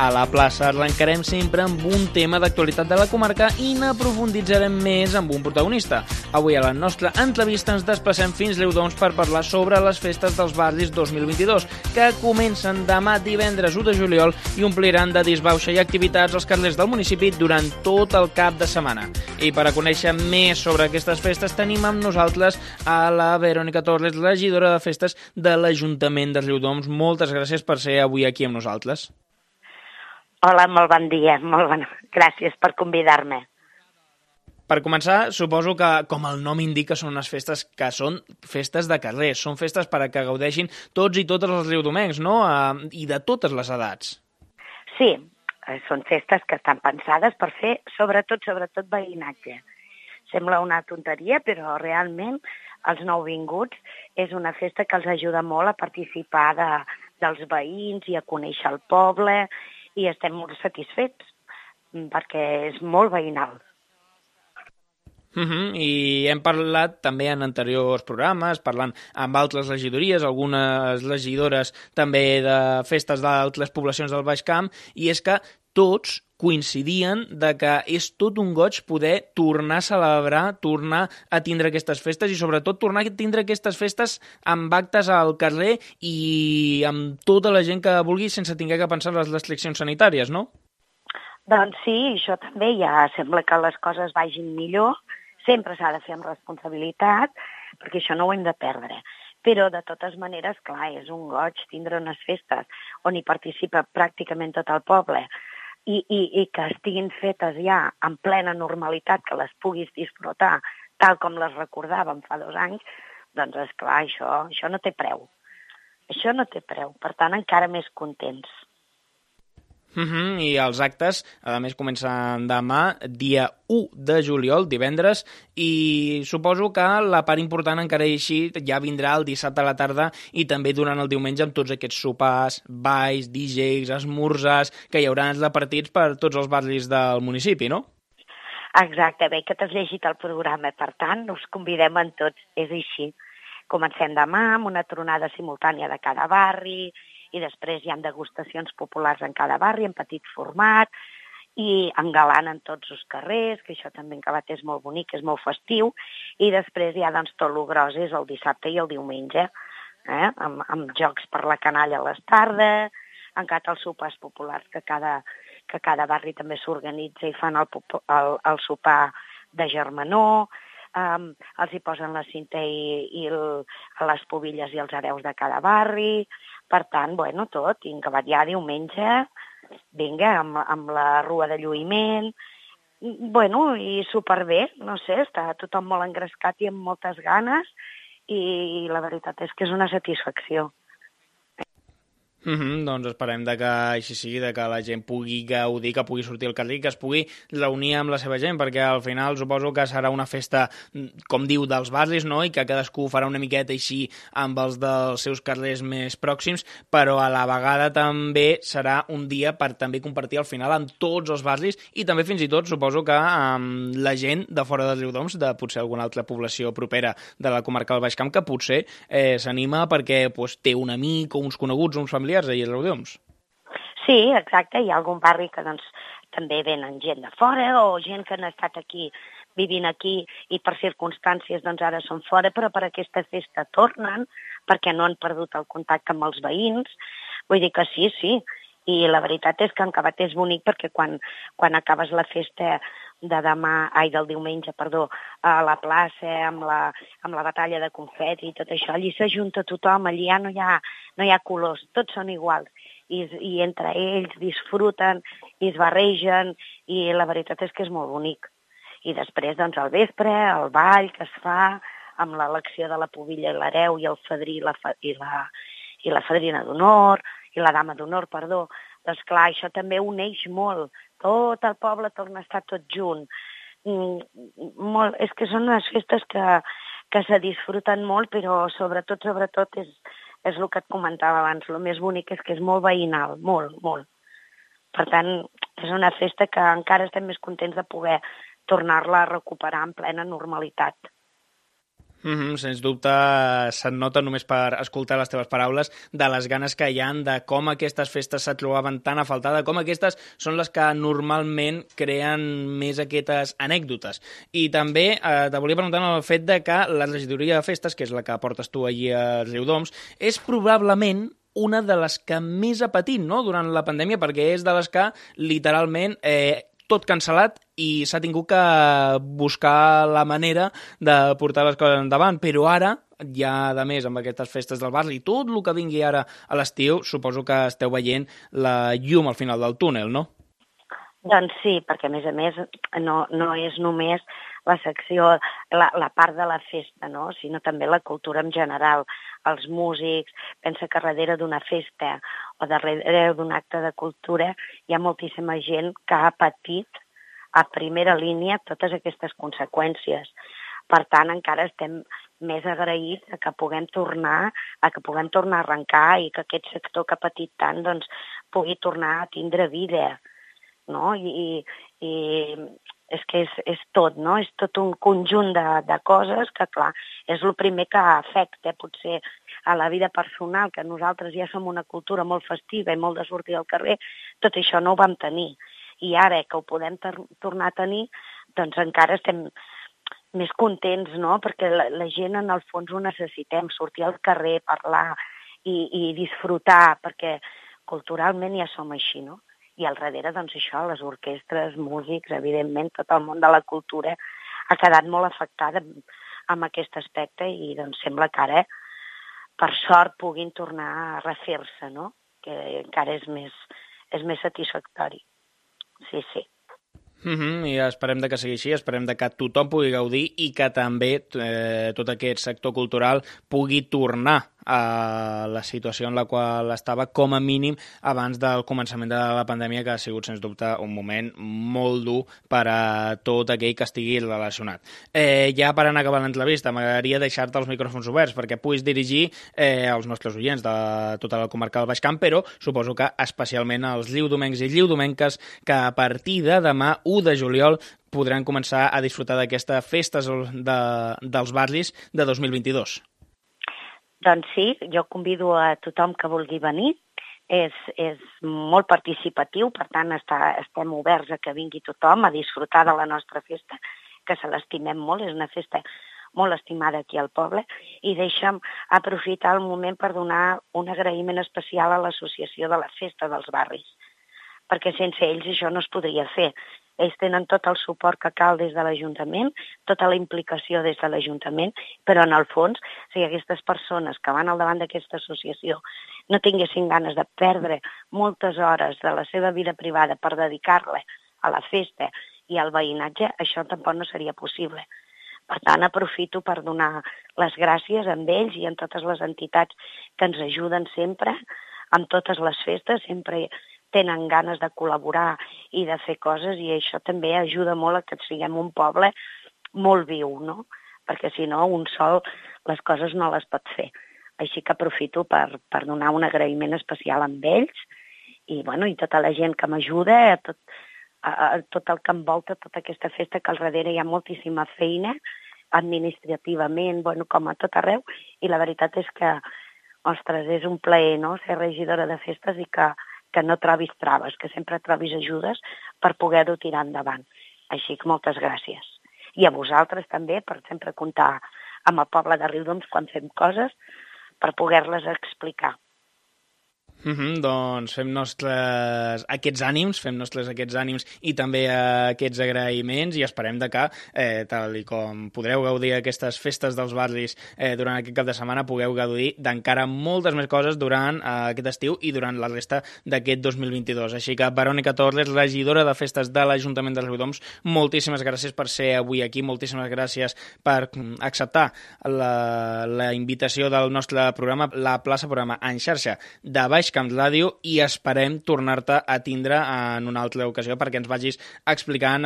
A la plaça arrencarem sempre amb un tema d'actualitat de la comarca i n'aprofunditzarem més amb un protagonista. Avui a la nostra entrevista ens desplacem fins Riudoms per parlar sobre les festes dels barris 2022, que comencen demà divendres 1 de juliol i ompliran de disbauxa i activitats als carrers del municipi durant tot el cap de setmana. I per a conèixer més sobre aquestes festes tenim amb nosaltres a la Verònica Torres, regidora de festes de l'Ajuntament de Riudoms. Moltes gràcies per ser avui aquí amb nosaltres. Hola, molt bon dia, gràcies per convidar-me. Per començar, suposo que, com el nom indica, són unes festes que són festes de carrer, són festes per a que gaudeixin tots i totes els riudomencs, no? I de totes les edats. Sí, són festes que estan pensades per fer sobretot veïnatge. Sembla una tonteria, però realment els nouvinguts és una festa que els ajuda molt a participar dels veïns i a conèixer el poble, i estem molt satisfets perquè és molt veïnal. I hem parlat també en anteriors programes, parlant amb altres regidories, algunes regidores també de festes d'altres poblacions del Baix Camp, i és que tots coincidien de que és tot un goig poder tornar a celebrar, tornar a tindre aquestes festes i sobretot tornar a tindre aquestes festes amb actes al carrer i amb tota la gent que vulgui sense haver que pensar en les restriccions sanitàries, no? Doncs sí, això també ja sembla que les coses vagin millor. Sempre s'ha de fer amb responsabilitat, perquè això no ho hem de perdre. Però, de totes maneres, clar, és un goig tindre unes festes on hi participa pràcticament tot el poble i que estiguin fetes ja en plena normalitat, que les puguis disfrutar tal com les recordàvem fa 2 anys, doncs, esclar, això no té preu. Això no té preu. Per tant, encara més contents. I els actes, a més, comencen demà, dia 1 de juliol, divendres, i suposo que la part important encara així ja vindrà el dissabte a la tarda i també durant el diumenge amb tots aquests sopars, balls, DJs, esmorzars, que hi haurà repartits per tots els barris del municipi, no? Exacte, bé que t'has llegit el programa, per tant, us convidem en tots, és així. Comencem demà amb una tronada simultània de cada barri, i després hi ha degustacions populars en cada barri, en petit format, i engalanen tots els carrers, que això també en Cabat és molt bonic, és molt festiu, i després hi ha doncs, tot el gros és el dissabte i el diumenge, amb jocs per la canalla a les tardes, encara els sopars populars que cada barri també s'organitza i fan el sopar de germanor, els hi posen la cinta i les pobilles i els hereus de cada barri. Per tant, tot, i en Cabat ja diumenge, vinga, amb la rua de lluïment, i superbé, no sé, està tothom molt engrescat i amb moltes ganes, i la veritat és que és una satisfacció. Doncs esperem que així sigui, que la gent pugui gaudir, que pugui sortir al carrer, que es pugui reunir amb la seva gent, perquè al final suposo que serà una festa, com diu, dels barris, no? I que cadascú farà una miqueta així amb els dels seus carrers més pròxims, però a la vegada també serà un dia per també compartir al final amb tots els barris i també fins i tot suposo que amb la gent de fora de Riudoms, de potser alguna altra població propera de la comarca del Baix Camp, que potser s'anima perquè té un amic o uns coneguts, uns familiars allà a Riudoms. Sí, exacte, hi ha algun barri que també venen gent de fora o gent que han estat aquí, vivint aquí i per circumstàncies ara són fora, però per aquesta festa tornen perquè no han perdut el contacte amb els veïns. Vull dir que sí, i la veritat és que en Cabat és bonic perquè quan acabes la festa del diumenge, a la plaça, amb la batalla de confeti i tot això, allí s'ajunta tothom, allí ja no hi ha colors, tots són iguals, i entre ells disfruten i es barregen, i la veritat és que és molt bonic. I després, al vespre, el ball que es fa, amb l'elecció de la pubilla i l'hereu i el fadrí i la fadrina d'honor, i la dama d'honor, doncs clar, això també uneix molt. Tot el poble torna a estar tot junt. És que són unes festes que se disfruten molt, però sobretot és el que et comentava abans. El més bonic és que és molt veïnal, molt, molt. Per tant, és una festa que encara estem més contents de poder tornar-la a recuperar en plena normalitat. Sens dubte se't nota només per escoltar les teves paraules de les ganes que hi han, de com aquestes festes se trobaven tan a faltar, de com aquestes són les que normalment creen més aquestes anècdotes. I també te volia preguntar el fet de que la regidoria de festes, que és la que portes tu allí a Riudoms, és probablement una de les que més ha patit, no?, durant la pandèmia, perquè és de les que literalment tot cancel·lat i s'ha tingut que buscar la manera de portar les coses endavant. Però ara, ja a més amb aquestes festes del barri i tot el que vingui ara a l'estiu, suposo que esteu veient la llum al final del túnel, no? Doncs sí, perquè a més no és només la secció, la part de la festa, no?, sinó també la cultura en general, els músics. Pensa que darrere d'una festa o darrere d'un acte de cultura hi ha moltíssima gent que ha patit a primera línia totes aquestes conseqüències. Per tant, encara estem més agraïts a que puguem tornar a arrencar i que aquest sector que ha patit tant doncs, pugui tornar a tindre vida, no? I és que és tot, no? És tot un conjunt de coses que, clar, és el primer que afecta potser a la vida personal, que nosaltres ja som una cultura molt festiva i molt de sortir al carrer, tot això no ho vam tenir. I ara que ho podem tornar a tenir, doncs encara estem més contents, no? Perquè la gent en el fons ho necessitem, sortir al carrer, parlar i disfrutar, perquè culturalment ja som així, no? I al darrere, doncs això, les orquestres, músics, evidentment, tot el món de la cultura ha quedat molt afectada amb aquest aspecte i doncs sembla que ara, per sort, puguin tornar a refer-se, no? Que encara és més satisfactori. Sí, sí. I esperem de que sigui així, esperem de que tothom pugui gaudir i que també tot aquest sector cultural pugui tornar a la situació en la qual estava com a mínim abans del començament de la pandèmia, que ha sigut sens dubte un moment molt dur per a tot aquell que estigui relacionat. Ja per anar acabant l'entrevista, m'agradaria deixar-te els micròfons oberts perquè puguis dirigir als nostres oients de tota la comarca del Baix Camp, però suposo que especialment als riudomencs i riudomenques que a partir de demà, 1 de juliol, podran començar a disfrutar d'aquestes festes dels barris de 2022. Doncs sí, jo convido a tothom que vulgui venir. És molt participatiu, per tant estem oberts a que vingui tothom a disfrutar de la nostra festa, que se l'estimem molt, és una festa molt estimada aquí al poble, i deixa'm aprofitar el moment per donar un agraïment especial a l'Associació de la Festa dels Barris, perquè sense ells això no es podria fer. Ells tenen tot el suport que cal des de l'Ajuntament, tota la implicació des de l'Ajuntament, però en el fons, si aquestes persones que van al davant d'aquesta associació no tinguessin ganes de perdre moltes hores de la seva vida privada per dedicar-la a la festa i al veïnatge, això tampoc no seria possible. Per tant, aprofito per donar les gràcies a ells i a totes les entitats que ens ajuden sempre, en totes les festes, sempre tenen ganes de col·laborar i de fer coses, i això també ajuda molt a que siguem un poble molt viu, no? Perquè si no, un sol les coses no les pot fer. Així que aprofito per donar un agraïment especial a ells i tota la gent que m'ajuda, a tot el que envolta tota aquesta festa, que al darrere hi ha moltíssima feina, administrativament, com a tot arreu, i la veritat és que, ostres, és un plaer, no?, ser regidora de festes i que no trobis traves, que sempre trobis ajudes per poder-ho tirar endavant. Així que moltes gràcies. I a vosaltres també, per sempre comptar amb el poble de Riudoms quan fem coses, per poder-les explicar. Doncs fem nostres aquests ànims i també aquests agraïments, i esperem de que, tal i com podreu gaudir aquestes festes dels barris durant aquest cap de setmana, pugueu gaudir d'encara moltes més coses durant aquest estiu i durant la resta d'aquest 2022. Així que, Verònica Torres, regidora de festes de l'Ajuntament de Riudoms, moltíssimes gràcies per ser avui aquí, moltíssimes gràcies per acceptar la invitació del nostre programa, la plaça programa en xarxa de Baix Camp Ràdio, i esperem tornar-te a tindre en una altra ocasió perquè ens vagis explicant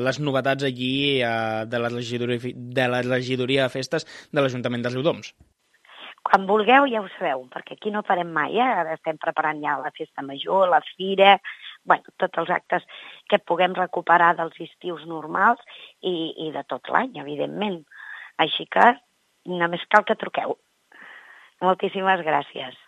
les novetats allí de la regidoria de festes de l'Ajuntament de Riudoms. Quan vulgueu ja ho sabeu, perquè aquí no parem mai, Ara estem preparant ja la festa major, la fira, tots els actes que puguem recuperar dels estius normals i de tot l'any, evidentment. Així que només cal que truqueu. Moltíssimes gràcies.